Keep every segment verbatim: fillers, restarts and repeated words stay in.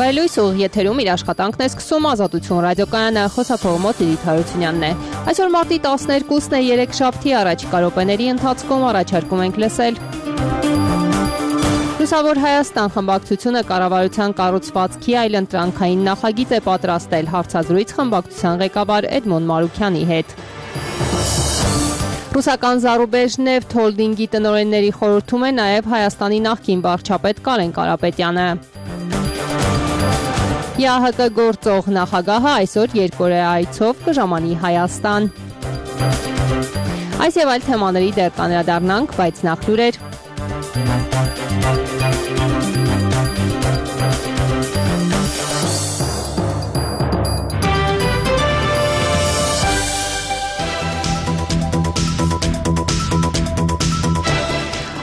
Վայելույս ուղիղ եթերում իր աշխատանքն է սկսում Ազատություն ռադիոկայանը, խոսափողը մոտ Լիլիթ Հարությունյանն է։ Այսօր մարտի տասներկուսն է, երեքշաբթի առաջիկա րոպեների ընթացքում առաջարկում ենք լսել. Լուսավոր Հայաստան խմբակցությունը կառավարության կառուցվածքի այլընտրանքային նախագիծ է պատրաստել, հարցազրույց խմբակցության ղեկավար Էդմոն Մարուքյանի հետ։ Ռուսական Զարուբեժնեֆթ հոլդինգի տնօրենների խորհրդում է նաև Հայաստանի նախկին վարչապետ Կարեն Կարապետյանը։ ԵԱՀԿ գործող նախագահը այսօր երկօրյա այցով կժամանի Հայաստան։ Այս եւ այլ թեմաների դեռ կանդրադառնանք, բայց նախ լուրեր։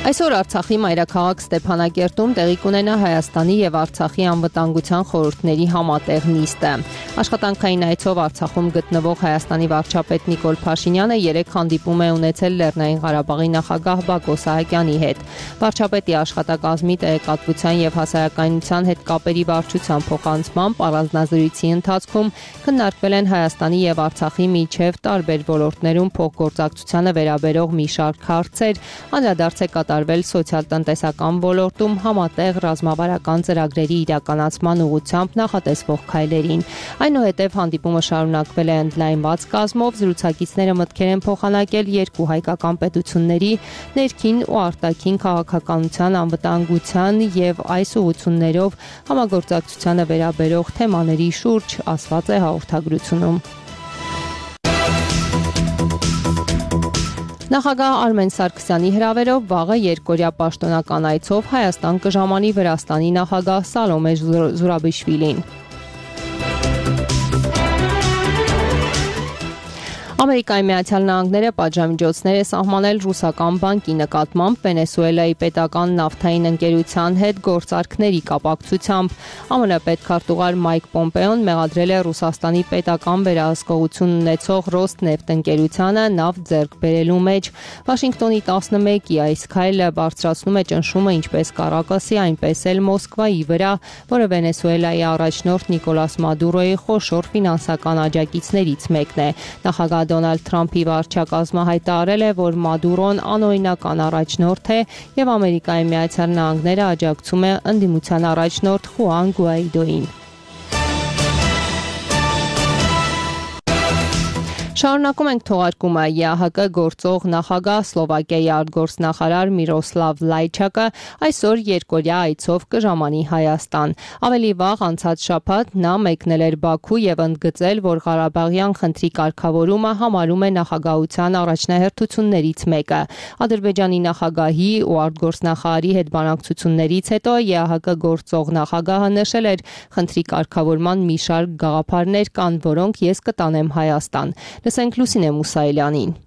Այսօր Արցախի մայրաքաղաք Ստեփանակերտում տեղի կունենա Հայաստանի եւ Արցախի անվտանգության խորհուրդների համատեղ նիստը։ Աշխատանքային այցով Արցախում գտնվող Հայաստանի վարչապետ Նիկոլ Փաշինյանը երեք հանդիպում է ունեցել Լեռնային Ղարաբաղի նախագահ Բակո Սահակյանի հետ։ Վարչապետի աշխատակազմի տեղեկատվության եւ հասարակայնության հետ կապերի վարչության փոխանցմամբ առանձնազրույցի ընթացքում քննարկվել են Հայաստանի եւ Արցախի միջև տարբեր ոլորտներում փոխգործակցությանը վերաբերող մի շարք հարցեր, անդրադարձ է կատարվել սոցիալ-տնտեսական ոլորտում համատեղ ռազմավարական ծրագրերի իրականացման ուղղությամբ նախատեսվող քայլերին։ Այնուհետև հանդիպումը շարունակվել է ընդլայնված կազմով, զրուցակիցները մտքեր են փոխանակել երկու հայկական պետությունների ներքին ու արտաքին քաղաքականության, անվտանգության եւ այս ուղղություններով համագործակցությանը վերաբերող թեմաների շուրջ, ասված է հաղորդագրությունում։ Նախագահ Արմեն Սարգսյանի հրավերով վաղը երկօրյա պաշտոնական այցով Հայաստան կժամանի Վրաստանի նախագահ Սալոմե Զուրաբիշվիլին։ Ամերիկայի Միացյալ Նահանգները պատժամիջոցներ է սահմանել ռուսական բանկի նկատմամբ Վենեսուելայի պետական նավթային ընկերության հետ գործարքների կապակցությամբ։ ԱՄՆ պետքարտուղար Մայք Պոմպեոն մեղադրել է Ռուսաստանի պետական վերահսկողություն ունեցող Ռոսնեֆտ ընկերությանը նավ ձեռք բերելու մեջ։ Վաշինգտոնի տասնմեկի այս քայլը բարձրացնում է ճնշումը ինչպես Կարակասի, այնպես էլ Մոսկվայի վրա, որը Վենեսուելայի առաջնորդ Նիկոլաս Մադուրոյի խոշոր ֆինանսական աջակիցներից մեկն է։ Նախագահ Դոնալդ Թրամփի վարչակազմը հայտարարել է, որ Մադուրոն անօրինական առաջնորդ է եւ Ամերիկայի Միացյալ Նահանգները աջակցում է ընդդիմության առաջնորդ Խուան Գուայդոին։ Շարունակում ենք թողարկումը։ ԵԱՀԿ գործող նախագահ Սլովակիայի արտգործնախարար Միրոսլավ Լայչակը այսօր երկօրյա այցով կժամանի Հայաստան։ Ավելի վաղ անցած շաբաթ նա մեկնել էր Բաքու եւ ընդգծել, որ Ղարաբաղյան խնդրի կարգավորումը համարում է նախագահության առաջնահերթություններից մեկը։ Ադրբեջանի նախագահի ու արտգործնախարարի հետ բանակցություններից հետո ԵԱՀԿ գործող նախագահը նշել էր, խնդրի կարգավորման մի շարք գաղափարներ կան, որոնք ես կտանեմ Հայաստան։ Լսենք Լուսինե Մուսայելյանին։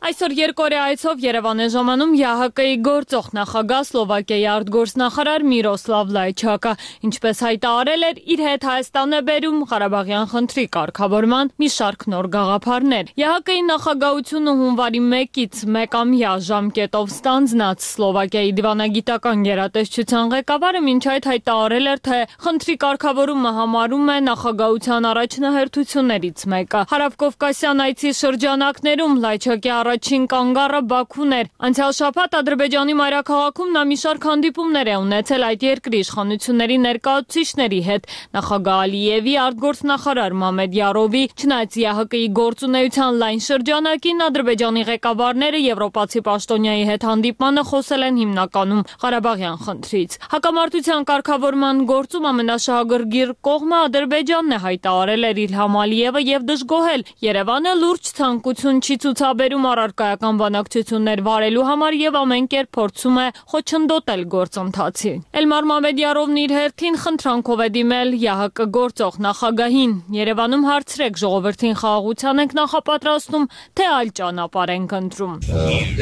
Այսօր երկօրյա այցով Երևան է ժամանում ԵԱՀԿ-ի գործող նախագահ Սլովակիայի արտգործնախարար Միրոսլավ Լայչակը, ինչպես հայտարարել էր, իր հետ Հայաստան է բերում Ղարաբաղյան խնդրի կարգավորման մի շարք նոր գաղափարներ։ ԵԱՀԿ-ի նախագահությունը հունվարի մեկից մեկամյա ժամկետով ստանձնած Սլովակիայի դիվանագիտական գերատեսչության ղեկավարը մինչ այդ հայտարարել էր, թե խնդրի կարգավորումը համարում է նախագահության առաջնահերթություններից մեկը։ Հարավկովկասյան այցի շրջանակներում Լայչակի առաջին կանգառը Բաքուն էր։ Անցյալ շաբաթ Ադրբեջանի մայրաքաղաքում նա մի շարք հանդիպումներ է ունեցել այդ երկրի իշխանությունների ներկայացուցիչների հետ։ Նախագահ Ալիևի, արտգործնախարար Մամեդ Յարովի, չնայած ԵԱՀԿ-ի գործունեության լայն շրջանակին Ադրբեջանի ղեկավարները եվրոպացի պաշտոնյայի հետ հանդիպմանը խոսել են հիմնականում Ղարաբաղյան խնդրից։ Հակամարտության կարգավորման գործում ամենաշահագրգիռ կողմը Ադրբեջանն է, հայտարարել էր Իլհամ Ալիևը եւ դժգոհել Երևանը լուրջ ցանկություն չի ցուցաբերում առարկայական բանակցություններ վարելու համար եւ ամեն կերպ փորձում է խոչընդոտել գործընթացին։ Էլմար Մամեդյարովն իր հերթին խնդրանքով է դիմել ԵԱՀԿ գործող նախագահին։ Երևանում հարցրեք, ժողովրդին խաղաղության ենք նախապատրաստում, թե այլ ճանապարհ ենք ընտրում։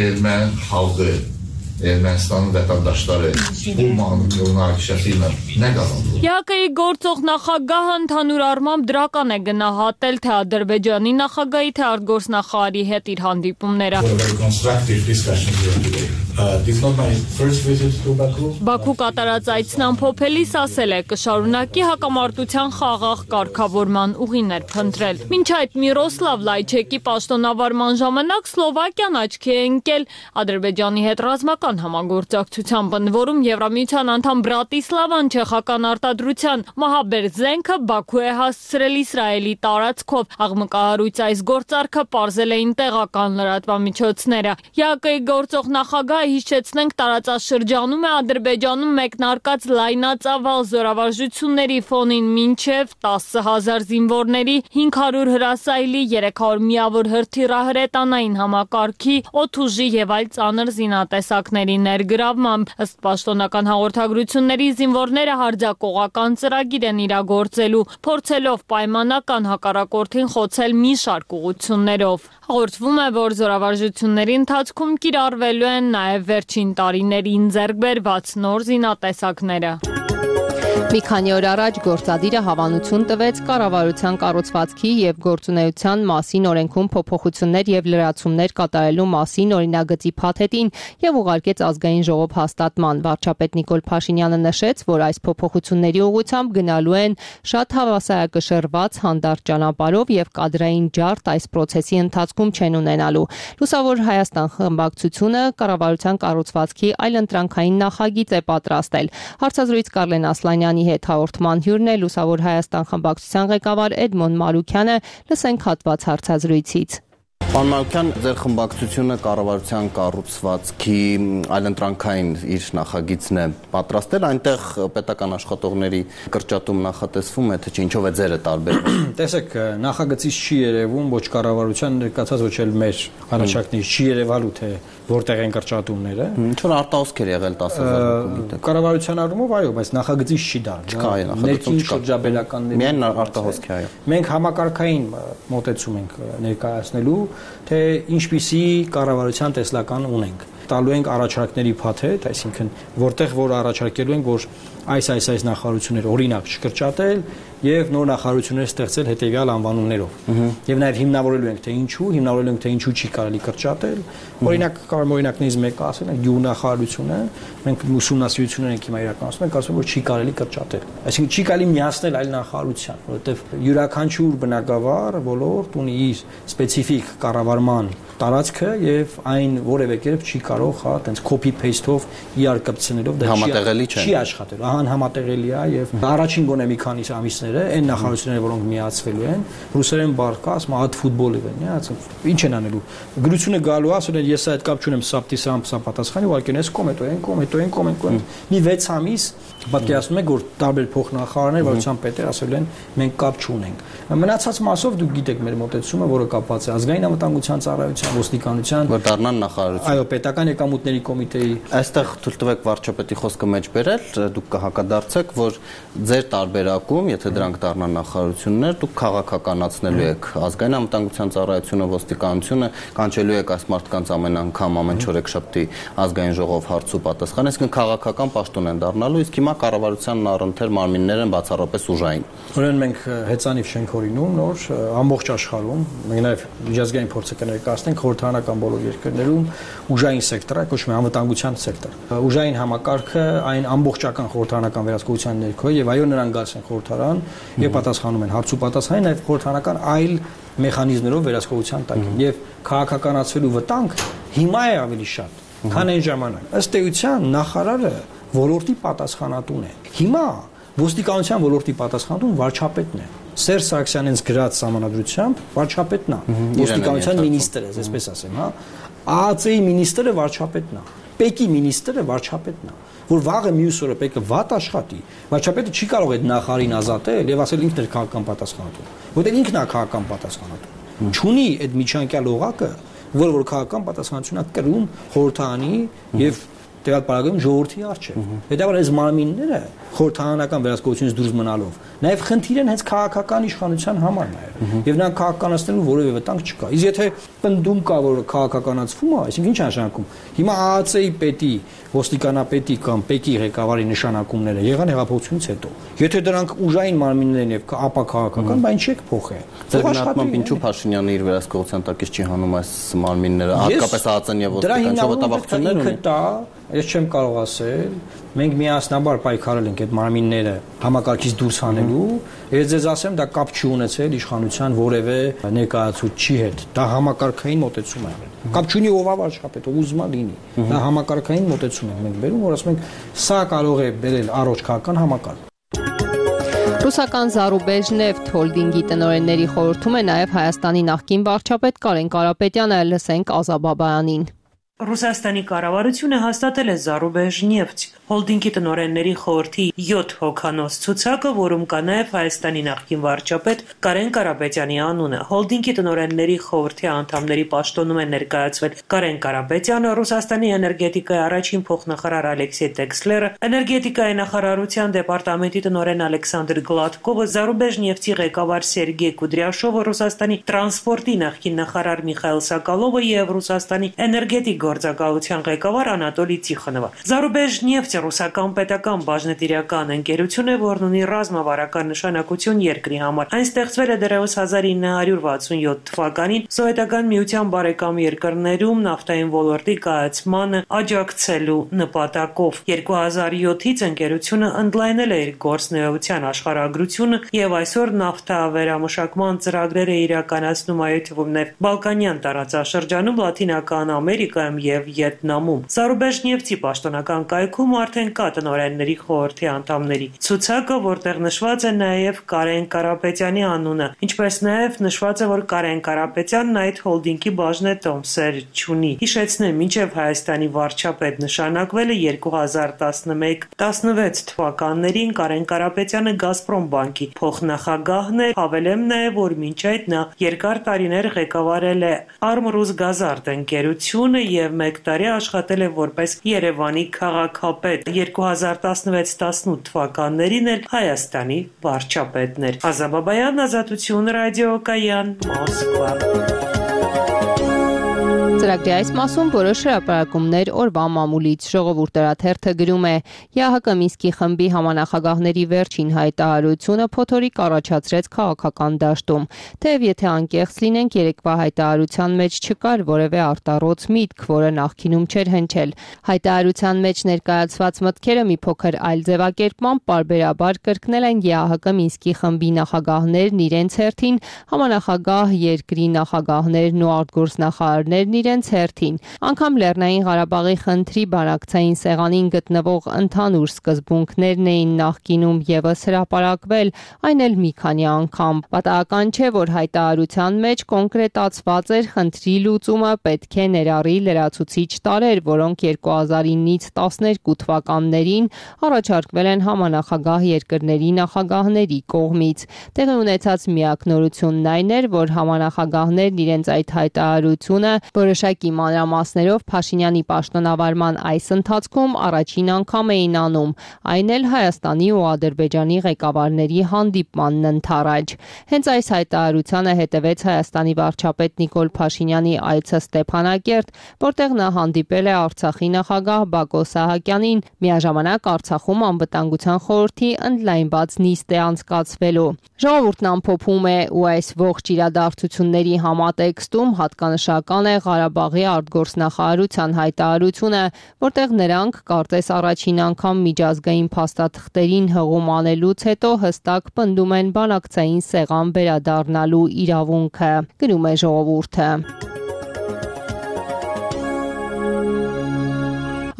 Erməni xalqı, Ermənistanın vətəndaşları bu մնացածի nə qazandı։ ԵԱՀԿ-ի գործող նախագահը ընդհանուր առմամբ դրական է գնահատել թե Ադրբեջանի նախագահի, թե արտգործնախարարի հետ իր հանդիպումները։ Uh, this is not my first visit to Baku. Բաքու կատարած այցն ամփոփելիս ասել է կշարունակի հակամարտության խաղաղ կարգավորման ուղիներ փնտրել։ Մինչ այդ Միրոսլավ Լայչեկի պաշտոնավարման ժամանակ Սլովակիան աչքի է ընկել Ադրբեջանի հետ ռազմական համագործակցության բնավորում Եվրամիության անդամ Բրատիսլավան չեխական արտադրության մահաբեր զենքը Բաքու է հասցրել Իսրայելի տարածքով։ Աղմկահարույց այս գործարքը պարզել էին տեղական լրատվամիջոցները։ ԵԱԿ-ի գործող նախագահ հիշեցնենք տարածաշրջանում է Ադրբեջանում մեկնարկած լայնածավալ զորավարժությունների ֆոնին մինչև տասը հազար զինվորների, հինգ հարյուր հրասայլի, երեք հարյուր միավոր հրթիռահրետանային համակարգի, օդուժի եւ այլ ծանր զինատեսակների ներգրավմամբ։ Ըստ պաշտոնական հաղորդագրությունների զինվորները հարձակողական ծրագիր են իրագործելու, փորձելով պայմանական հակառակորդին խոցել մի շարք ուղղություններով։ Հաղորդվում է, որ զորավարժությունների ընթացքում կիրառվելու են նաև վերջին տարիներին ձեռք բերված նոր զինատեսակները։ Մի քանի օր առաջ գործադիրը հավանություն տվեց կառավարության կառուցվածքի եւ գործունեության մասին օրենքում փոփոխություններ եւ լրացումներ կատարելու մասին օրինագծի փաթեթին եւ ուղարկեց ազգային ժողով հաստատման։ Վարչապետ Նիկոլ Փաշինյանը նշեց, որ այս փոփոխությունների ուղղությամբ գնալու են շատ հավասարակշռված հանդարտ ճանապարհով եւ կադրային ջարդ այս process-ի ընթացքում չեն ունենալու։ Լուսավոր Հայաստան խմբակցությունը կառավարության կառուցվածքի այլընտրանքային նախագիծ է պատրաստել։ Հարցազրույց Կարլեն Ասլանյանի հետ հաղորդման հյուրն է Լուսավոր Հայաստան խմբակցության ղեկավար Էդմոն Մարուքյանը, լսենք հատված հարցազրույցից։ Պարոն Մարուքյան, ձեր խմբակցությունը կառավարության կառուցվածքի այլընտրանքային իր նախագիծն է պատրաստել, այնտեղ պետական աշխատողների կրճատում նախատեսվում է, թե ինչով է ձերը տարբերվում։ Տեսեք, նախագծից չի երևում ոչ կառավարության ներկայացած ոչ էլ մեր առաջարկներից չի երևալու, թե որտեղ են կրճատումները։ Ինչ որ արտահոսքեր եղել տասը հազար։ Կառավարության առումով այո, բայց նախագծից չի դա։ Ներքին շրջաբերականների։ Միայն արտահոսք է, այո։ Մենք համակարգային մոտեցում ենք ներկայացնելու, թե ինչպիսի կառավարության տեսլական ունենք։ Տալու ենք առաջարկների փաթեթ, այսինքն որտեղ որ առաջարկելու ենք, որ այս այս այս նախարարությունները օրինակ չկրճատել եւ նոր նախարարություններ ստեղծել հետեւյալ անվանումներով։ Եվ նաեւ հիմնավորելու ենք թե ինչու, հիմնավորելու ենք թե ինչու չի կարելի կրճատել։ Օրինակ կարող օրինակներից մեկը ասել ենք գյուղնախարարությունը, մենք ուսումնասիրություններ ենք հիմա իրականացնում, ենք ասում որ չի կարելի կրճատել։ Այսինքն չի կարելի միացնել այլ նախարարության, որովհետեւ յուրաքանչյուր բնակավար ոլորտ ունի իր սպეციფიկ կառավարման տարածքը եւ այն որևէ կերպ չի կարող հա տենց copy paste-ով իրար կպցնելով դա չի աշխատելու։ Ահա համատեղելի է եւ առաջին գոնե մի քանի ամիսները այն նախարարությունները, որոնք միացվելու են, ռուսերեն բարգաս, մահատ ֆուտբոլի են, հա, ինչ են անելու։ Գրությունը գալու է, ասել են ես այդ կապ չունեմ սապտիսամ սապատասխանի, ուղղակի ես կոմենտ են, կոմենտ են, կոմենտ են։ Մի վեց ամիս պատկերացնում եք, որ տարբեր փոխնախարարներ, վարչության պետեր ասել են մենք կապ չունենք։ Մնացած մասով դուք գիտեք մեր մոտեցումը, որը կապված է ազգային անվտանգության ծառայության, ոստիկանության, որ դառնան նախարարություն։ Այո, պետական եկամուտների կոմիտեի։ Այստեղ թույլ տվեք վարչապետի խոսքը մեջ բերել, դուք կհակադարձեք, որ ձեր տարբերակում, եթե դրանք դառնան նախարարություններ, դուք քաղաքականացնելու եք ազգային անվտանգության ծառայությունը, ոստիկանությունը, կանչելու եք այս մարդկանց ամեն անգամ ամեն չորեքշաբթի ազգային ժողով հարց ու պատասխան, այսինքն քաղաքական պաշտոն են դառնալու, իսկ հիմա կառավարությանն առընթեր մարմիններ են բացառապես ուժային։ Ուրեմն մենք հեծանիվ շենք օրինում նոր ամբողջ աշխարհում, մենք նաև միջազգային փորձը կներկայացնենք խորհրդարանական բոլոր երկրներում ուժային սեկտորը, կոչվում է անվտանգության սեկտոր։ Ուժային համակարգը այն ամբողջական խորհրդարանական վերահսկողության ներքո եւ այո նրանք գալիս են խորհրդարան եւ պատասխանում են հարց ու պատասխանի նաեւ խորհրդարանական այլ մեխանիզմներով վերահսկողության տակ եւ քաղաքականացվելու վտանգ հիմա է ավելի շատ, քան այն ժամանակ։ Ըստ էության նախարարը ոլորտի պատասխանատուն է։ Հիմա ոստիկանության ոլորտի պատասխանատուն վարչապետն է։ Սերժ Սարգսյանից գրած համանadrությամբ վարչապետն է, ոստիկանության մինիստրը, այսպես ասեմ, հա։ ԱԱԾ-ի մինիստրը վարչապետն է, ՊԵԿ-ի մինիստրը վարչապետն է, որ վաղը մյուս օրը ՊԵԿ-ը վատ աշխատի, վարչապետը չի կարող այդ նախարարին ազատել եւ ասել ինքն է քաղաքական պատասխանատու, որտեղ ինքն է քաղաքական պատասխանատու։ Չունի այդ միջանկյալ օղակը, որը որ քաղաքական պատասխանատվությունը կրում խորհրդարանի եւ տվյալ պարագայում ժողովրդի առջև։ Հետևաբար այս մարմինները խորհրդարանական վերահսկողությունից դուրս մնալով նաև խնդիր են հենց քաղաքական իշխանության համար նաև։ Եվ նրանք քաղաքականացնելու որևէ վտանգ չկա։ Իսկ եթե պնդում կա, որ քաղաքականացվում է, այսինքն ինչ է նշանակում։ Հիմա ԱԱՑ-ի պետի, ոստիկանապետի կամ ՊԵԿ-ի ղեկավարի նշանակումները եղան հեղափոխությունից հետո։ Եթե դրանք ուժային մարմիններ են եւ ապա քաղաքական, բա ինչ եք փոխել։ Ձեր գնահատմամբ ինչու Փաշինյանը իր վերահսկողության տակից չի հանում այս մարմինները, հատկապես ԱԱՑ-ն եւ ոստիկանչը վտավախություններ ունի։ Ես չեմ կարող ասել, մենք միասնաբար պայքարել ենք այդ մարմինները համակարգից դուրս հանելու, ես ձեզ ասեմ, դա կապ չի ունեցել իշխանության որևէ ներկայացուցչի հետ։ Դա համակարգային մոտեցում է եղել։ Կապ չունի ով վարչապետ, ով ուզում է լինի։ Դա համակարգային մոտեցում ենք մենք բերում, որ ասում ենք, սա կարող է բերել առողջ քաղաքական համակարգ։ Ռուսական Zarubezhnev Holding-ի տնօրենների խորհրդում է նաև Հայաստանի նախկին վարչապետ Կարեն Կարապետյանը, լսենք Ազա Բաբայանին։ Ռուսաստանի կառավարությունը հաստատել է Zarubezhneft հոլդինգի տնօրենների խորհրդի յոթ հոգանոց ցուցակը, որում կա նաև Հայաստանի նախկին վարչապետ Կարեն Կարապետյանի անունը։ Հոլդինգի տնօրենների խորհրդի անդամների պաշտոնում է ներկայացվել Կարեն Կարապետյանը, Ռուսաստանի էներգետիկայի առաջին փոխնախարար Ալեքսեյ Տեքսլերը, էներգետիկայի նախարարության դեպարտամենտի տնօրեն Ալեքսանդր Գլատկովը, Zarubezhneft-ի ղեկավար Սերգեյ Կուդրյաշովը, Ռուսաստանի տրանսպորտի նախկին նախարար Միխայել Սակալովը եւ Ռուսաստանի էներգետիկ գործակալության ղեկավար Անատոլի Տիխոնովը։ Zarubezhneft ռուսական պետական բաժնետիրական ընկերություն է, որն ունի ռազմավարական նշանակություն երկրի համար։ Այն ստեղծվել է դեռևս հազար ինը հարյուր վաթսունյոթ թվականին Սովետական միության բարեկամ երկրներում նավթային ոլորտի կայացմանը աջակցելու նպատակով։ երկու հազար յոթից ընկերությունը ընդլայնել է իր գործունեության աշխարհագրությունը եւ այսօր նավթավերամշակման ծրագրեր է իրականացնում այդ թվում նաև Բալկանյան տարածաշրջանում, Լատինական Ամերիկայում եւ Վիետնամում։ Zarubezhneft-ի պաշտոնական կայքում արդեն կա տնօրենների խորհրդի անդամների ցուցակը, որտեղ նշված է նաև Կարեն Կարապետյանի անունը, ինչպես նաև նշված է, որ Կարեն Կարապետյանն այդ հոլդինգի բաժնետոմսեր չունի։ Հիշեցնեմ, մինչև Հայաստանի վարչապետ նշանակվել է երկու հազար տասնմեկ տասնվեց թվականներին Կարեն Կարապետյանը Գազպրոմ բանկի փոխնախագահն էր, հավելեմ նաև, որ մինչ այդ նա երկար տարիներ ղեկավարել է Armrus-Gazart ընկերությունը եւ մեկ տարի աշխատել է որպես Երևանի քաղաքապետ։ երկու հազար տասնվեց տասնութ թվականներին էլ Հայաստանի վարչապետն էր։ Ազա Բաբայան, Ազատություն ռադիոկայան, Մոսկվա։ Ծրագրի այս մասում որոշ հրապարակումներ օրվա մամուլից ժողովուրդ հրաթերթը գրում է ԵԱՀԿ Մինսկի խմբի համանախագահների վերջին հայտարարությունը փոթորիկ առաջացրեց քաղաքական դաշտում։ Թեև եթե անկեղծ լինենք, երեկվա հայտարարության մեջ չկար որևէ արտառոց միտք, որը նախկինում չէր հնչել։ Հայտարարության մեջ ներկայացված մտքերը մի փոքր այլ ձևակերպմամբ պարբերաբար կրկնել են ԵԱՀԿ Մինսկի խմբի նախագահներն իրենց հերթին, համանախագահ երկրի նախագահներն ու արտգործնախարարներն իրենց հերթին։ Անգամ Լեռնային Ղարաբաղի խնդրի բանակցային սեղանին գտնվող ընդհանուր սկզբունքներն էին նախկինում եւս հրապարակվել, այն էլ մի քանի անգամ։ Պատահական չէ, որ հայտարարության մեջ կոնկրետացված էր խնդրի լուծումը պետք է ներառի լրացուցիչ տարրեր, որոնք երկու հազար իննից տասներկու թվականներին առաջարկվել են համանախագահ երկրների նախագահների կողմից։ Տեղի ունեցած միակ նորությունն այն էր, որ համանախագահներն իրենց այդ հայտարարությունը որոշակի մանրամասներով Փաշինյանի պաշտոնավարման այս ընթացքում առաջին անգամ էին անում, այն էլ Հայաստանի ու Ադրբեջանի ղեկավարների հանդիպմանն ընդառաջ։ Հենց այս հայտարարությանը հետևեց Հայաստանի վարչապետ Նիկոլ Փաշինյանի այցը Ստեփանակերտ, որտեղ նա հանդիպել է Արցախի նախագահ Բակո Սահակյանին, միաժամանակ Արցախում անվտանգության խորհրդի ընդլայնված նիստ է անցկացվելու։ Ժողովուրդն ամփոփում է ու այս ողջ իրադարձությունների համատեքստում հատկանշական է Ղարաբաղի արտգործնախարարության հայտարարությունը, որտեղ նրանք կարծես առաջին անգամ միջազգային փաստաթղթերին հղում անելուց հետո հստակ պնդում են բանակցային սեղան վերադառնալու իրավունքը։ Գրում է ժողովուրդը։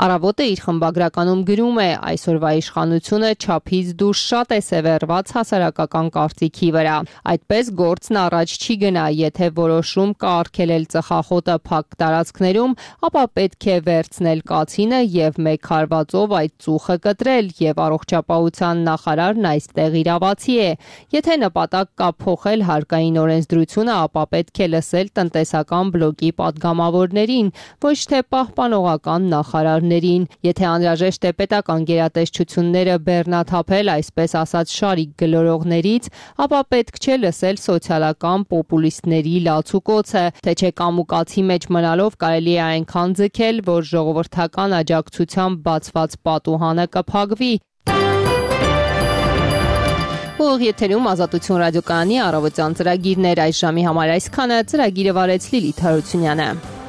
Առավոտը իր խմբագրականում գրում է այսօրվա իշխանությունը չափից դուրս շատ է սևեռված հասարակական կարծիքի վրա։ Այդպես գործն առաջ չի գնա, եթե որոշում կա արգելել ծխախոտը փակ տարածքներում, ապա պետք է վերցնել կացինը եւ մեկ հարվածով այդ ծուխը կտրել եւ առողջապահության նախարարն այստեղ իրավացի է։ Եթե նպատակ կա փոխել հարկային օրենսդրությունը, ապա պետք է լսել տնտեսական բլոկի падգամավորներին, ոչ թե պահպանողական նախարարներին գերիներին։ Եթե անհրաժեշտ է պետական գերատեսչությունները բեռնաթափել, այսպես ասած, շարիկ գլորողներից, ապա պետք չէ լսել սոցիալական պոպուլիստների լացուկոցը, թե չէ կամուկացի մեջ մնալով կարելի է այնքան ձգել, որ ժողովրդական աջակցությամբ բացված պատուհանը կփակվի։ Ուղիղ եթերում Ազատություն ռադիոկայանի առավոտյան ծրագիրներ այս ժամի համար այսքանը, ծրագիրը վարեց Լիլիթ Հարությունյանը։